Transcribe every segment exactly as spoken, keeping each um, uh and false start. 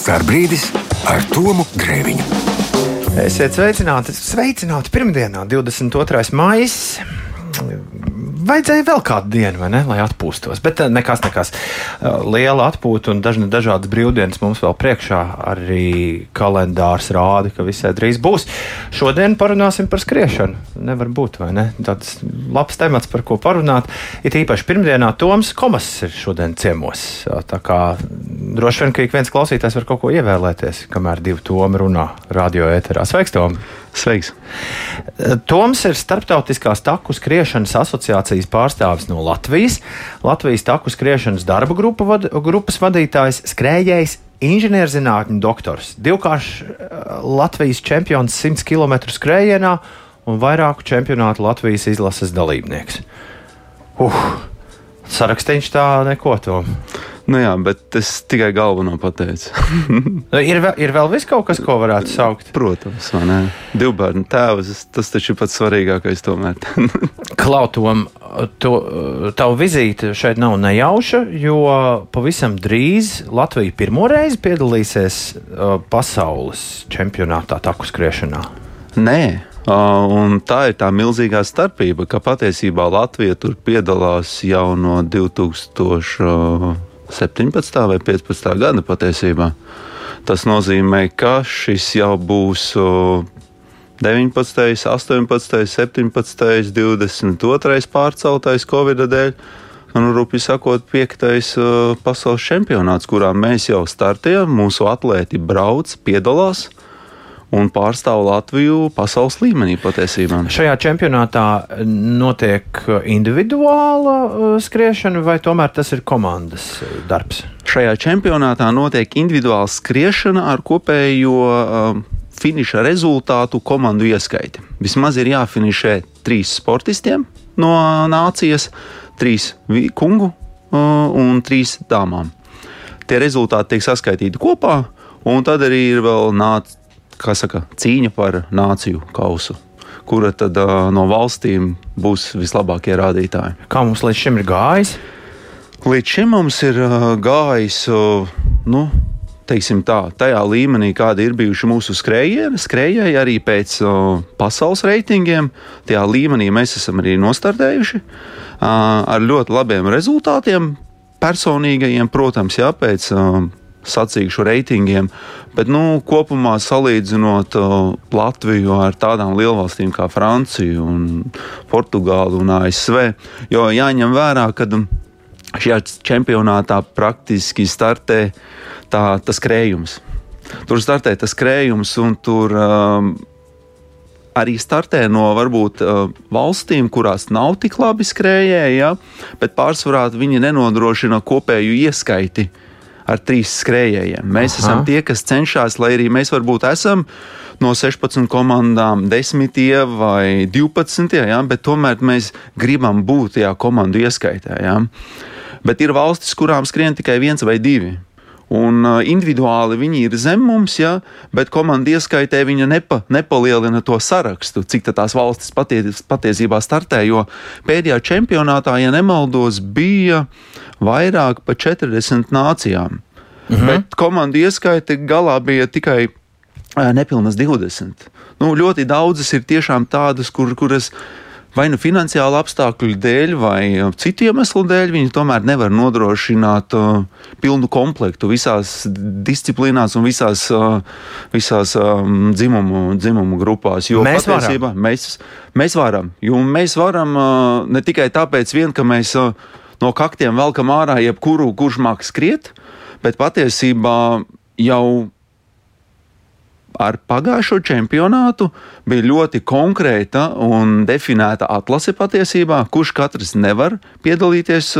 Starbrīdis ar Tomu Grēviņu. Esiet sveicināti, sveicināti pirmdienā, divdesmit otrais maijs. Vajadzēja vēl kādu dienu, vai ne, lai atpūstos, bet nekas, nekas. Liela atpūta un dažna, dažādas brīvdienas mums vēl priekšā. Arī kalendārs rāda, ka visai drīz būs. Šodien parunāsim par skriešanu. Nevar būt, vai ne? Tāds labs temats, par ko parunāt. It īpaši pirmdienā Toms Komas ir šodien ciemos. Tā kā droši vien, ka ik viens klausītājs var kaut ko ievēlēties, kamēr divi Tomi runā radio ēterā. Sveiks, Tom! Sveiks! Toms ir Starptautiskās taku skriešanas asociācijas pārstāvis no Latvijas, Latvijas taku skriešanas darba grupa vad, grupas vadītājs, skrējējs, inženierzinātņu doktors, divkāršs Latvijas čempions simts kilometru skrējienā un vairāku čempionātu Latvijas izlases dalībnieks. Uh, sarakstīņš tā neko, Tom. Nu jā, bet es tikai galveno pateicu. ir, vēl, ir vēl viss kaut kas, ko varētu saukt? Protams, vai ne? Divbērnu tēvs, tas taču ir pats svarīgākais tomēr. Klau, Tom, to, tavu vizīte šeit nav nejauša, jo pavisam drīz Latvija pirmo reizi piedalīsies uh, pasaules čempionātā taku skriešanā. Nē. Uh, un tā ir tā milzīgā starpība, ka patiesībā Latvija tur piedalās jau no divi tūkstoši septiņpadsmitā vai piecpadsmitā gada patiesībā. Tas nozīmē, ka šis jau būs deviņpadsmitais, astoņpadsmitais, septiņpadsmitais, divdesmit otrais pārceltais Covida dēļ, un rupi sakot, piektais pasaules čempionāts, kurā mēs jau startējam, mūsu atlēti brauc, piedalās un pārstāv Latviju pasaules līmenī patiesībā. Šajā čempionātā notiek individuāla skriešana, vai tomēr tas ir komandas darbs? Šajā čempionātā notiek individuāla skriešana ar kopējo um, finiša rezultātu komandu ieskaiti. Vismaz ir jāfinišē trīs sportistiem no nācijas, trīs kungu uh, un trīs dāmām. Tie rezultāti tiek saskaitīti kopā, un tad arī ir vēl nāc kā saka, cīņa par nāciju kausu, kura tad uh, no valstīm būs vislabākie rādītāji. Kā mums līdz šim ir gājis? Līdz šim mums ir uh, gājis, uh, nu, teiksim tā, tajā līmenī, kādi ir bijuši mūsu skrējēji, skrējēji arī pēc uh, pasaules reitingiem. Tajā līmenī mēs esam arī nostartējuši uh, ar ļoti labiem rezultātiem, personīgajiem, protams, jā, pēc uh, sacīkšu reitingiem, bet nu, kopumā salīdzinot uh, Latviju ar tādām lielvalstīm kā Francija un Portugāla un A S V, jo jāņem vērā, ka šajā čempionātā praktiski startē tā, tas krējums. Tur startē tas krējums un tur um, arī startē no varbūt uh, valstīm, kurās nav tik labi skrējēji, ja, bet pārsvarā viņi nenodrošina kopēju ieskaiti ar trīs skrējējiem. Mēs Aha. esam tie, kas cenšas, lai arī mēs varbūt esam no sešpadsmit komandām desmitie vai divpadsmitie, ja, bet tomēr mēs gribam būt tajā komandu ieskaitē. Ja. Bet ir valstis, kurām skrien tikai viens vai divi. Un uh, individuāli viņi ir zem mums, ja, bet komandu ieskaitē viņa nepa, nepalielina to sarakstu, cik tās valstis paties, patiesībā startē, jo pēdējā čempionātā, ja nemaldos, bija vairāk pa četrdesmit nācijām. Mhm. Bet komandu ieskaite galā bija tikai uh, nepilnas divdesmit. Nu, ļoti daudzas ir tiešām tādas, kur, kuras vai nu finansiālu apstākļu dēļ, vai citu iemeslu dēļ, viņi tomēr nevar nodrošināt uh, pilnu komplektu visās disciplīnās un visās, uh, visās um, dzimumu, dzimumu grupās. Jo mēs patiesībā varam. Mēs, mēs varam. Jo mēs varam uh, ne tikai tāpēc vien, ka mēs uh, no kaktiem velkam ārā jebkuru, kurš māk skriet, bet patiesībā jau ar pagājušo čempionātu bija ļoti konkrēta un definēta atlase patiesībā, kurš katrs nevar piedalīties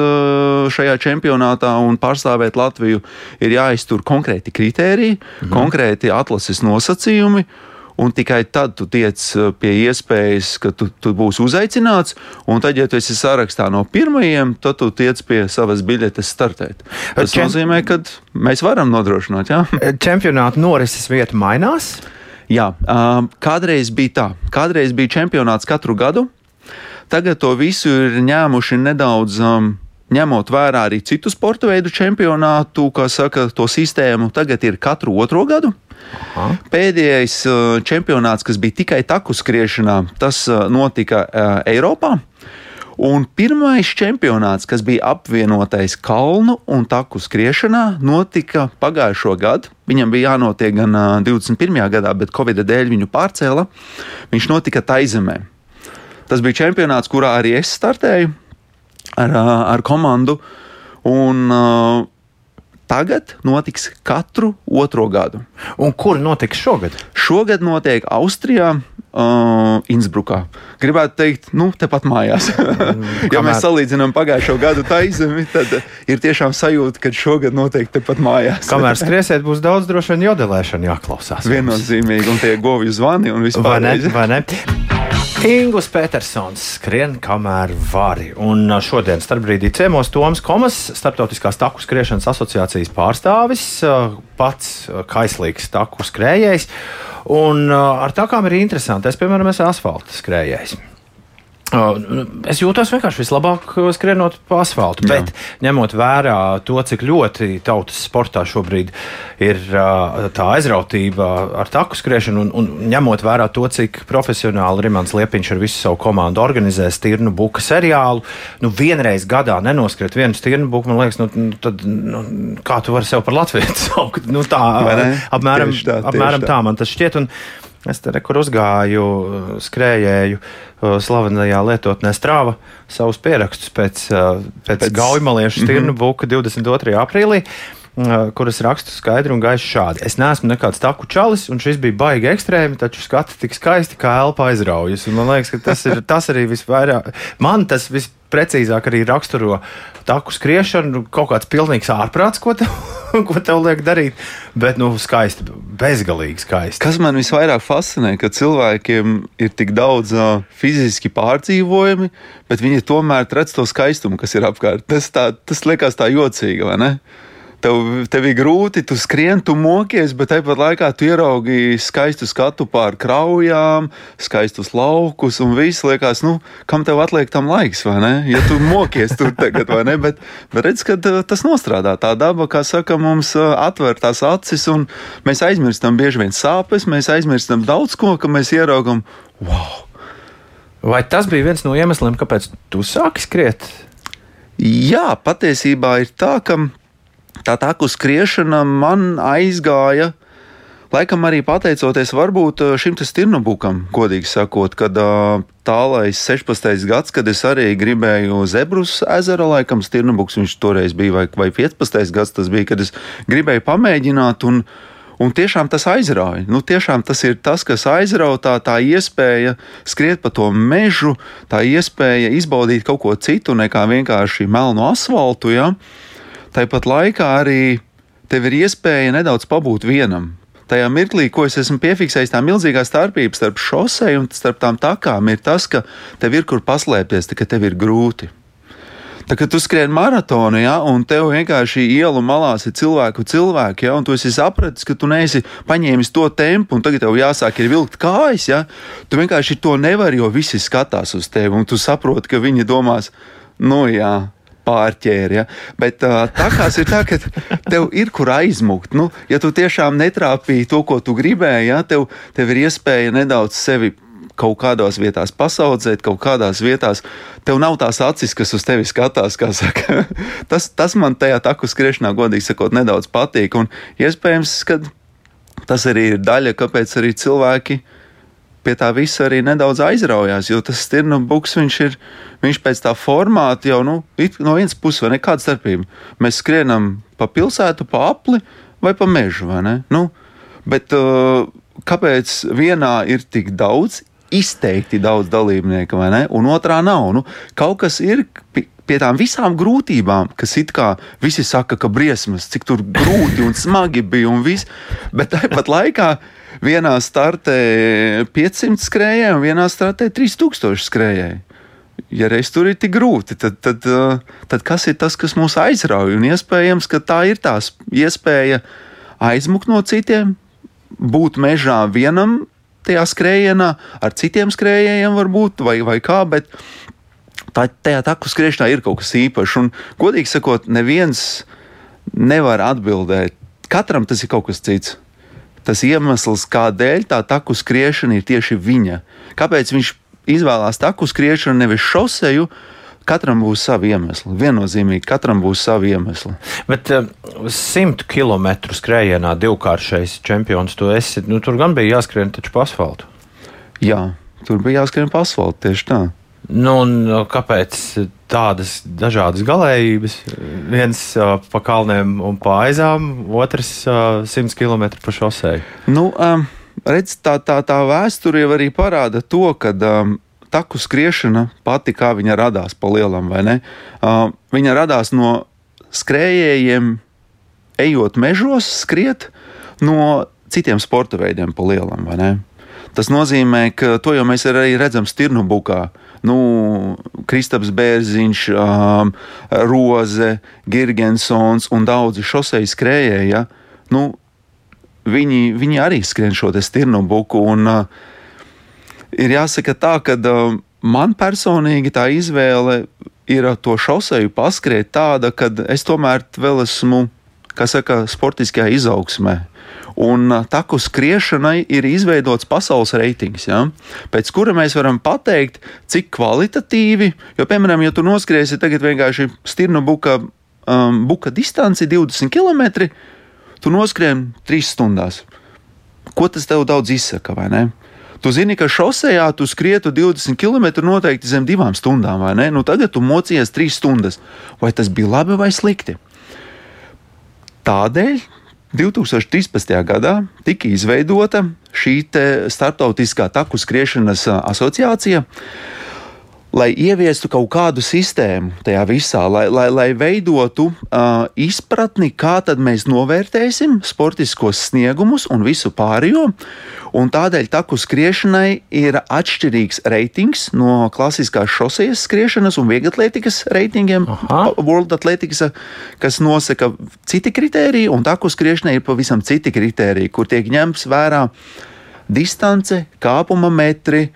šajā čempionātā un pārstāvēt Latviju. Ir jāiztur konkrēti kritēriji, mhm. konkrēti atlases nosacījumi, un tikai tad tu tiec pie iespējas, ka tu, tu būsi uzaicināts, un tad, ja tu esi sarakstā no pirmajiem, tad tu tiec pie savas biļetes startēt. Tas Čem... nozīmē, ka mēs varam nodrošināt, jā? Čempionāta norises vieta mainās? Jā, kādreiz bija tā. Kādreiz bija čempionāts katru gadu. Tagad to visu ir ņēmuši nedaudz um, ņemot vērā arī citu sporta veidu čempionātu, kā saka, to sistēmu, tagad ir katru otro gadu. Aha. Pēdējais čempionāts, kas bija tikai taku skriešanā, tas notika Eiropā. Un pirmais čempionāts, kas bija apvienotais kalnu un taku skriešanā, notika pagājušo gadu. Viņam bija jānotiek gan divdesmit pirmajā gadā, bet Covid dēļ viņu pārcēla. Viņš notika Taizemē. Tas bija čempionāts, kurā arī es startēju ar, ar komandu. Un uh, tagad notiks katru otro gadu. Un kur notiks šogad? Šogad notiek Austrijā. Uh, Innsbrukā. Gribētu teikt, nu, tepat mājās. Mm, ja mēs salīdzinām pagājušo gadu Taizemi, tad ir tiešām sajūta, ka šogad noteikti tepat mājās. Kamēr skriesiet, būs daudz droši vien jodelēšana jāklausās. Viennozīmīgi, un tie govju zvani un vispār. Vai ne? Vai ne? Ingūns Petersons skrien, kamēr vari. Un šodien starpbrīdī ciemos Toms Komas, Starptautiskās taku skriešanas asociācijas pārstāvis, pats kaislīgs taku skrējējs. Un ar takām ir interesanti. Es, piemēram, esmu asfalta skrējējs. Es jūtos vienkārši vislabāk skrienot pa asfaltu, bet Jā. ņemot vērā to, cik ļoti tautas sportā šobrīd ir tā aizrautība ar taku skriešanu, un, un ņemot vērā to, cik profesionāli Rimants Liepiņš ar visu savu komandu organizē Stirnu buka seriālu, nu vienreiz gadā nenoskriet vienu Stirnu buku, man liekas, nu, tad, nu, kā tu vari sev par latvietu saukt? Nu tā, apmēram, tā, apmēram tā man tas šķiet, un es te rekur uzgāju, skrējēju slavenajā lietotnē Strava savus pierakstus pēc, pēc, pēc... gaujmaliešu Stirnu buka divdesmit otrajā aprīlī, kuras rakstu skaidri un gaiši šādi. Es neesmu nekāds taku čalis, un šis bija baigi ekstrēmi, taču skati tik skaisti, kā elpa aizraujas. Un man liekas, ka tas ir tas arī visvairāk. Man tas visprecīzāk arī raksturo taku skriešanu, kaut kāds pilnīgs ārprāts, ko tev, ko tev liek darīt, bet, nu, skaisti, bezgalīgi skaisti. Kas man visvairāk fascinē, ka cilvēkiem ir tik daudz uh, fiziski pārdzīvojumi, bet viņi tomēr redz to skaistumu, kas ir apkārt. Tas, tā, tas liekas tā jocīgi, vai ne? Tev, tev ir grūti, tu skrien, tu mokies, bet tāpat laikā tu ieraugi skaistu skatu pār kraujām, skaistus laukus un viss liekas, nu, kam tev atliek tam laiks, vai ne? Ja tu mokies tur tagad, vai ne? Bet, bet redz, ka tas nostrādā. Tā daba, kā saka, mums atver tās acis un mēs aizmirstam bieži vien sāpes, mēs aizmirstam daudz ko, ka mēs ieraugam, wow! Vai tas bija viens no iemesliem, kāpēc tu sāki skriet? Jā, patiesībā ir tā, ka tā taku skriešana man aizgāja, laikam arī pateicoties varbūt šim te Stirnubukam, godīgi sakot, kad tālais sešpadsmitais gads, kad es arī gribēju Zebrus ezera, laikam Stirnubuks viņš toreiz bija, vai, vai piecpadsmitais gads tas bija, kad es gribēju pamēģināt un Un tiešām tas aizrauja. Nu, tiešām tas ir tas, kas aizrautā, tā iespēja skriet pa to mežu, tā iespēja izbaudīt kaut ko citu nekā vienkārši melnu asfaltu. Ja? Tāpat laikā arī tev ir iespēja nedaudz pabūt vienam. Tajā mirklī, ko es esmu piefiksējis, tā milzīgā starpība starp šoseju un starp tām takām ir tas, ka tev ir kur paslēpties, ka tev ir grūti. Tā kā tu skrien maratonu, ja, un tev vienkārši ielu malās ir cilvēku cilvēki, ja, un tu esi sapratis, ka tu neesi paņēmis to tempu, un tagad tev jāsāk ir vilkt kājas, ja, tu vienkārši to nevari, jo visi skatās uz tevi, un tu saproti, ka viņi domās, nu jā, pārķēri, ja. Bet uh, takās ir tā, ka tev ir kur aizmukt. Nu, ja tu tiešām netrāpīji to, ko tu gribēji, ja, tev, tev ir iespēja nedaudz sevi kaut kādās vietās pasaudzēt, kaut kādās vietās tev nav tās acis, kas uz tevi skatās, kā saka. tas, tas man tajā taku skriešanā, godīgi sakot, nedaudz patīk, un iespējams, ka tas arī ir daļa, kāpēc arī cilvēki pie tā visa arī nedaudz aizraujās, jo tas Stirnubuks, viņš ir, viņš pēc tā formāta jau, nu, no vienas puses, vai ne, kāda starpība. Mēs skrienam pa pilsētu, pa apli vai pa mežu, vai ne? Nu, bet uh, kāpēc vienā ir tik daudz, izteikti daudz dalībnieku, vai ne? Un otrā nav. Nu, kaut kas ir pie tām visām grūtībām, kas it kā visi saka, ka briesmas, cik tur grūti un smagi bija un viss, bet tāpat laikā vienā startē piecsimt skrējēji un vienā startē trīs tūkstoši skrējēji. Ja reiz tur ir tik grūti, tad, tad, tad kas ir tas, kas mūs aizrauj? Un iespējams, ka tā ir tās iespēja aizmukt no citiem, būt mežā vienam, tajā skrējienā, ar citiem skrējējiem varbūt, vai, vai kā, bet tā, tajā taku skriešanā ir kaut kas īpašs. Un, godīgi sakot, neviens nevar atbildēt. Katram tas ir kaut kas cits. Tas iemesls, kādēļ tā taku skriešana ir tieši viņa. Kāpēc viņš izvēlās taku skriešanu, nevis šoseju? Katram būs savi iemesli. Viennozīmīgi, katram būs savi iemesli. Bet uh, simtu kilometru skrējienā divkāršais čempions tu esi. Nu, tur gan bija jāskrien taču pa asfaltu. Jā, tur bija jāskrien pa asfaltu, tieši tā. Nu, un kāpēc tādas dažādas galējības? Viens uh, pa kalniem un pa aizām, otrs uh, simts kilometru pa šoseju. Nu, um, redz, tā, tā, tā vēsture jau arī parāda to, ka um, taku skriešana pati, kā viņa radās pa lielam, vai ne? Uh, viņa radās no skrējējiem, ejot mežos, skriet no citiem sporta veidiem pa lielam, vai ne? Tas nozīmē, ka to jau mēs arī redzam Stirnubukā. Nu, Kristaps Bērziņš, um, Roze, Girgensons un daudzi šoseju skrējēji, ja? Nu, viņi, viņi arī skrien šo te Stirnubuku, un uh, ir jāsaka tā, ka uh, man personīgi tā izvēle ir to šoseju paskriet tāda, ka es tomēr vēl esmu, kā saka, sportiskajā izaugsmē. Un taku skriešanai ir izveidots pasaules reitings, ja? Pēc kura mēs varam pateikt, cik kvalitatīvi, jo, piemēram, ja tu noskriesi tagad vienkārši Stirnubuka um, buka distanci divdesmit kilometri, tu noskrien trīs stundās. Ko tas tev daudz izsaka, vai ne? Tu zini, ka šosejā tu skrietu divdesmit kilometru noteikti zem divām stundām, vai ne? Nu tagad tu mocījies trīs stundas. Vai tas bija labi vai slikti? Tādēļ divtūkstoš trīspadsmitajā gadā tika izveidota šī starptautiskā taku skriešanas asociācija, lai ieviestu kaut kādu sistēmu tajā visā, lai, lai, lai veidotu uh, izpratni, kā tad mēs novērtēsim sportiskos sniegumus un visu pārējo. Un tādēļ taku skriešanai ir atšķirīgs reitings no klasiskās šosejas skriešanas un vieglatlētikas reitingiem, Aha. World Athletics, kas nosaka citi kritēriji, un taku skriešanai ir pavisam citi kritēriji, kur tiek ņemts vērā distance, kāpuma metri,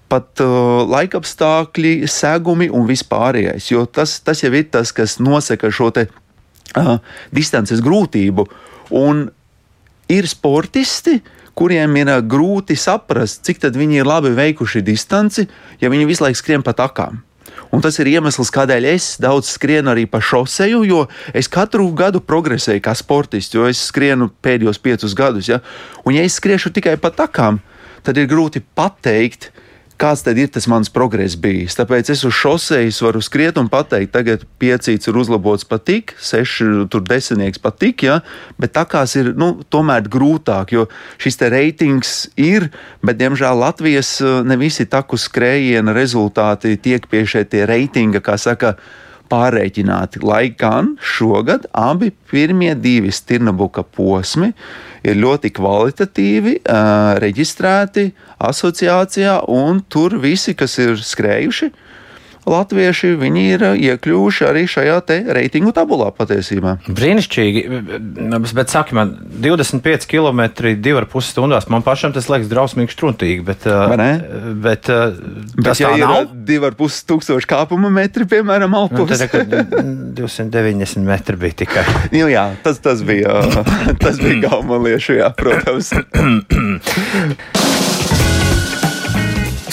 pat uh, laikapstākļi, segumi un vispārējais, jo tas, tas jau ir tas, kas nosaka šo te uh, distances grūtību. Un ir sportisti, kuriem ir grūti saprast, cik tad viņi ir labi veikuši distanci, ja viņi visu laiku skrien pa takām. Un tas ir iemesls, kādēļ es daudz skrienu arī pa šoseju, jo es katru gadu progresēju kā sportists, jo es skrienu pēdējos piecus gadus. Ja? Un ja es skriešu tikai pa takām, tad ir grūti pateikt, kāds tad ir tas mans progress bijis. Tāpēc es uz šosejas varu skriet un pateikt, tagad piecīts ir uzlabots pat tik, seši tur desmitnieks pat tik, ja? Bet takās ir, nu, tomēr grūtāk, jo šis te reitings ir, bet, diemžēl, Latvijas ne visi taku skrējiena rezultāti tiek pie šie tie reitinga, kā saka, pārreķināti, lai gan šogad abi pirmie divi Stirnubuka posmi ir ļoti kvalitatīvi uh, reģistrēti asociācijā, un tur visi, kas ir skrējuši, latvieši, viņi ir iekļuvuši arī šajā te reitingu tabulā patiesībā. Brīnišķīgi, bet saki man, divdesmit pieci kilometri, divi ar pus stundās, man pašam tas liekas drausmīgi štruntīgi, bet, bet, bet tas ja tā nav? divi ar pus tūkstoši kāpuma metri, piemēram, Alpos. Nu, tad, divsimt deviņdesmit metri bija tikai. Nu jā, tas, tas bija, tas bija Gaumaliešu, jā, protams.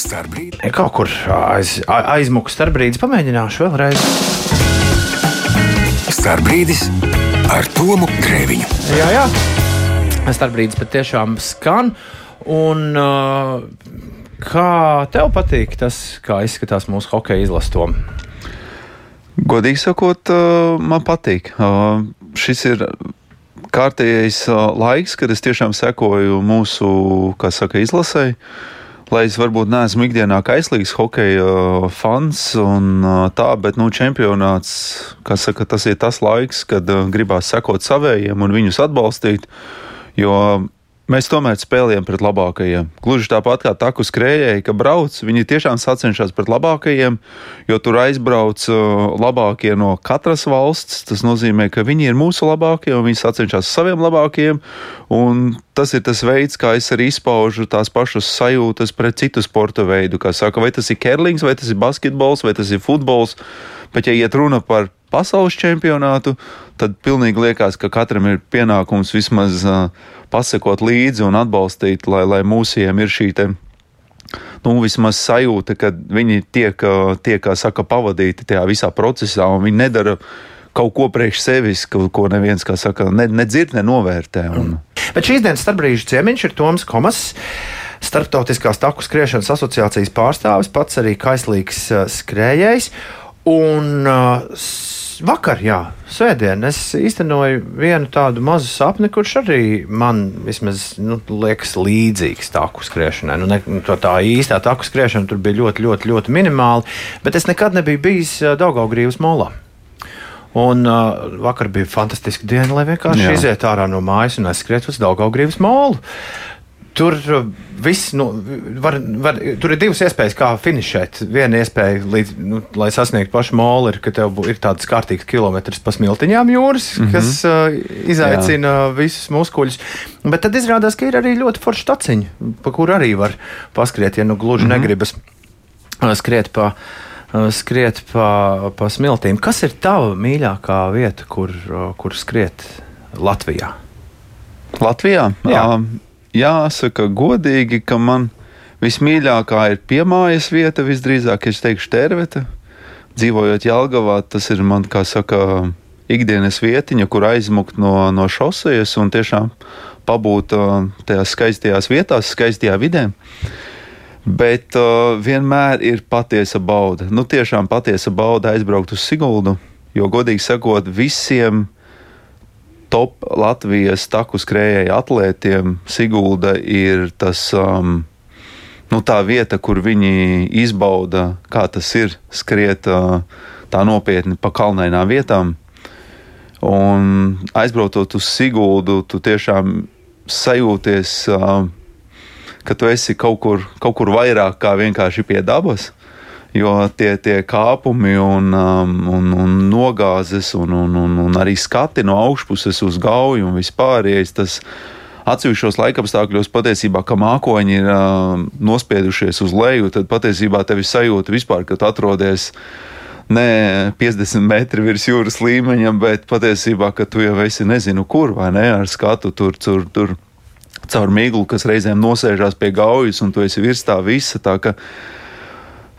Starbrīd. Kaut kur aiz, aizmuku starpbrīdis, pamēģināšu vēlreiz. Starbrīdis ar Tomu Grēviņu. Jā, jā. Starpbrīdis patiešām skan. Un uh, kā tev patīk tas, kā izskatās mūsu hokeja izlastom? Godīgi sakot, uh, man patīk. Uh, šis ir kārtējais uh, laiks, kad es tiešām sekoju mūsu, kā saka, izlasei. Lai es varbūt neesmu ikdienā kaislīgs hokeja uh, fans un uh, tā, bet, nu, čempionāts, kā saka, tas ir tas laiks, kad uh, gribās sekot savējiem un viņus atbalstīt, jo Mēs tomēr spēlējam pret labākajiem. Gluži tāpat kā taku skrējēji, ka brauc, viņi tiešām sacenšas pret labākajiem, jo tur aizbrauc labākie no katras valsts. Tas nozīmē, ka viņi ir mūsu labākie un viņi sacenšas saviem labākajiem. Un tas ir tas veids, kā es arī izpaužu tās pašas sajūtas pret citu sporta veidu. Kā saka, vai tas ir kerlings, vai tas ir basketbols, vai tas ir futbols. Bet, ja iet runa par pasaules čempionātu, tad pilnīgi liekas, ka katram ir pienākums vismaz uh, pasekot līdzi un atbalstīt, lai, lai mūsiem ir šī te, nu, vismaz sajūta, ka viņi tiek, uh, tiek, kā saka, pavadīti tajā visā procesā un viņi nedara kaut ko priekš sevis, ko, ko neviens, kā saka, ne, nedzird, nenovērtē. Un... Bet šīs dienas starpbrīžu ciemiņš ir Toms Komas, Starptautiskās taku skriešanas asociācijas pārstāvis, pats arī kaislīgs uh, skrējējs. Un uh, vakar, jā, svētdien, es īstenoju vienu tādu mazu sapni, kurš arī man vismaz nu, liekas līdzīgs taku skriešanai. Nu, ne, to tā īstā taku skriešana tur bija ļoti, ļoti, ļoti minimāli, bet es nekad nebiju bijis uh, Daugavgrīvas molā. Un uh, vakar bija fantastiska diena, lai vienkārši jā. iziet ārā no mājas un aizskriet uz Daugavgrīvas molu. Tur viss, nu, var, var, tur ir divas iespējas, kā finišēt. Viena iespēja, līdz, nu, lai sasniegtu pašu molu, ir, ka tev ir tādas kārtīgas kilometras pa smiltiņām jūras, mm-hmm. kas uh, izaicina Jā. visus muskuļus. Bet tad izrādās, ka ir arī ļoti forša taciņa, pa kuru arī var paskriet, ja nu gluži mm-hmm. negribas uh, skriet pa, uh, skriet pa, pa smiltīm. Kas ir tava mīļākā vieta, kur, uh, kur skriet Latvijā? Latvijā? Jā. Um, Jāsaka godīgi, ka man vismīļākā ir piemājas vieta, visdrīzāk es teikšu Terveta. Dzīvojot Jelgavā, tas ir man, kā saka, ikdienas vietiņa, kur aizmukt no, no šosejas un tiešām pabūt tajās skaistajās vietās, skaistajā vidē. Bet uh, vienmēr ir patiesa bauda. Nu, tiešām patiesa bauda aizbraukt uz Siguldu, jo, godīgi sakot, visiem top Latvijas taku skrējēju atlētiem Sigulda ir tas, um, nu, tā vieta, kur viņi izbauda, kā tas ir skriet uh, tā nopietni pa kalnainām vietām. Un aizbraucot uz Siguldu, tu tiešām sajūties, uh, ka tu esi kaut kur, kaut kur vairāk kā vienkārši pie dabas. Jo tie, tie kāpumi un, um, un, un nogāzes un, un, un, un arī skati no augšpuses uz Gauju un vispārējais, tas atsevišķos laikapstākļos patiesībā, ka mākoņi ir uh, nospiedušies uz leju, tad patiesībā tevi sajūta vispār, ka tu atrodies ne piecdesmit metri virs jūras līmeņa, bet patiesībā, ka tu jau esi nezinu kur, vai ne, ar skatu tur, tur, tur caur miglu, kas reizēm nosēžās pie Gaujas un tu esi virs tā visa, tā ka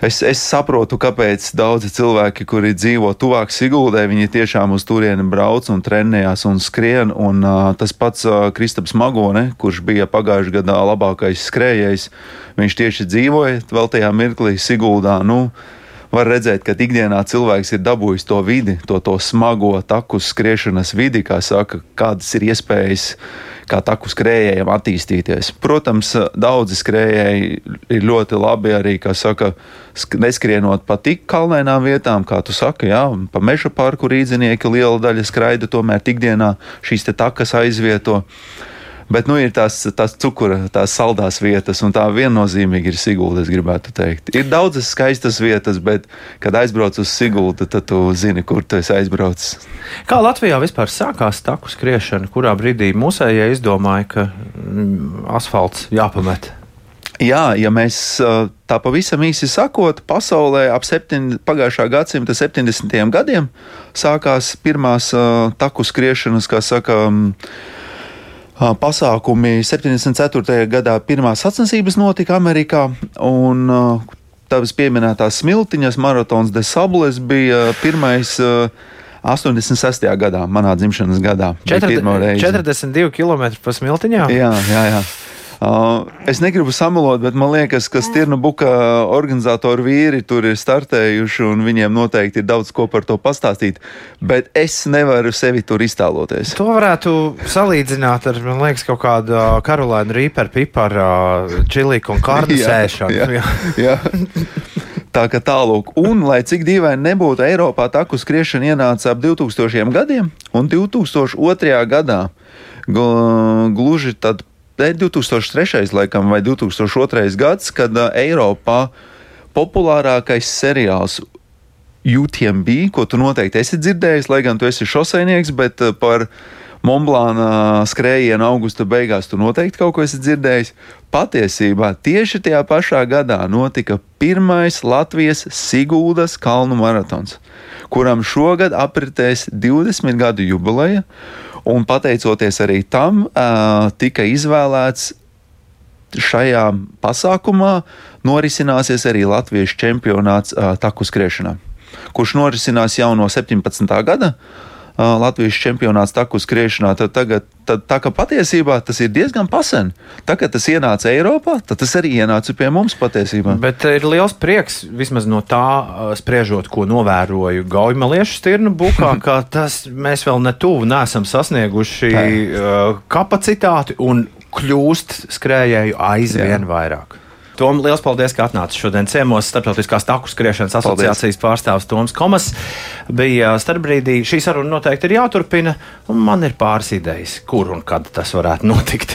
Es, es saprotu, kāpēc daudzi cilvēki, kuri dzīvo tuvāk Siguldai, viņi tiešām uz turieni brauc un trenējās un skrien. Un, uh, tas pats uh, Kristaps Magone, kurš bija pagājušajā gadā labākais skrējējs, viņš tieši dzīvoja vēl tajā mirklī Siguldā. Nu, var redzēt, ka ikdienā cilvēks ir dabūjis to vidi, to, to smago taku skriešanas vidi, kā saka, kādas ir iespējas kā taku skrējējiem attīstīties. Protams, daudzi skrējēji ir ļoti labi arī, kā saka, neskrienot pa tik kalnainām vietām, kā tu saki, jā, pa meža parku rīdzinieki liela daļa skraida, tomēr ikdienā šīs te takas aizvieto. Bet, nu, ir tās, tās cukura, tās saldās vietas, un tā viennozīmīgi ir Sigulda, es gribētu teikt. Ir daudzas skaistas vietas, bet, kad aizbrauc uz Siguldu, tad tu zini, kur tu esi aizbraucis. Kā Latvijā vispār sākās taku skriešana? Kurā brīdī mūsējie izdomāja, ka mm, asfalts jāpamet? Jā, ja mēs tā pavisam īsi sakot, pasaulē ap septiņ, pagājušā gadsimta septiņdesmitajiem gadiem sākās pirmās uh, taku skriešanas, kā saka, um, pasākumi. septiņdesmit ceturtajā gadā pirmās sacensības notika Amerikā, un uh, tavas pieminētās smiltiņas maratons de Sables bija pirmais uh, astoņdesmit sestajā gadā, manā dzimšanas gadā. četrdesmit divi kilometri pa smiltiņām? Jā, jā, jā. Uh, es negribu samalot, bet man liekas, ka Stirnu buka organizatori vīri tur ir startējuši un viņiem noteikti ir daudz ko par to pastāstīt, bet es nevaru sevi tur iztēloties. To varētu salīdzināt ar, man liekas, kaut kādu Karolēnu Rīperu piparu čiliku un kārnu sēšanu. Jā, jā, jā. Tā kā tālūk. Un, lai cik dīvaini nebūtu, Eiropā taku skriešana ienāca ap divtūkstošajiem gadiem, un divtūkstoš otrajā gadā gluži tad divtūkstoš trešais laikam, vai divtūkstoš otrais gads, kad uh, Eiropā populārākais seriāls U T M B, ko tu noteikti esi dzirdējis, lai gan tu esi šosejnieks, bet uh, par Montblāna skrējienu augusta beigās tu noteikti kaut ko esi dzirdējis. Patiesībā tieši tajā pašā gadā notika pirmais Latvijas Siguldas kalnu maratons, kuram šogad apritēs divdesmit gadu jubileja, un pateicoties arī tam, uh, tika izvēlēts šajā pasākumā norisināsies arī Latvijas čempionāts uh, taku skriešanā, kurš norisinās jau no septiņpadsmitā gada. Uh, Latvijas čempionāts taku skriešanā, tad tagad, tad, tā kā patiesībā tas ir diezgan pasen. Tā kā tas ienāca Eiropā, tad tas arī ienāca pie mums patiesībā. Bet ir liels prieks, vismaz no tā spriežot, ko novēroju Gaujamaliešu stirnu bukā, ka tas mēs vēl ne tuvu neesam sasnieguši uh, kapacitāti un kļūst skrējēju aizvien Jā. vairāk. Tom, liels paldies, ka atnāci šodien ciemos. Starptautiskās taku skriešanas asociācijas pārstāvs Toms Komas bija starpbrīdī. Šī saruna noteikti ir jāturpina, un man ir pāris idejas, kur un kad tas varētu notikt.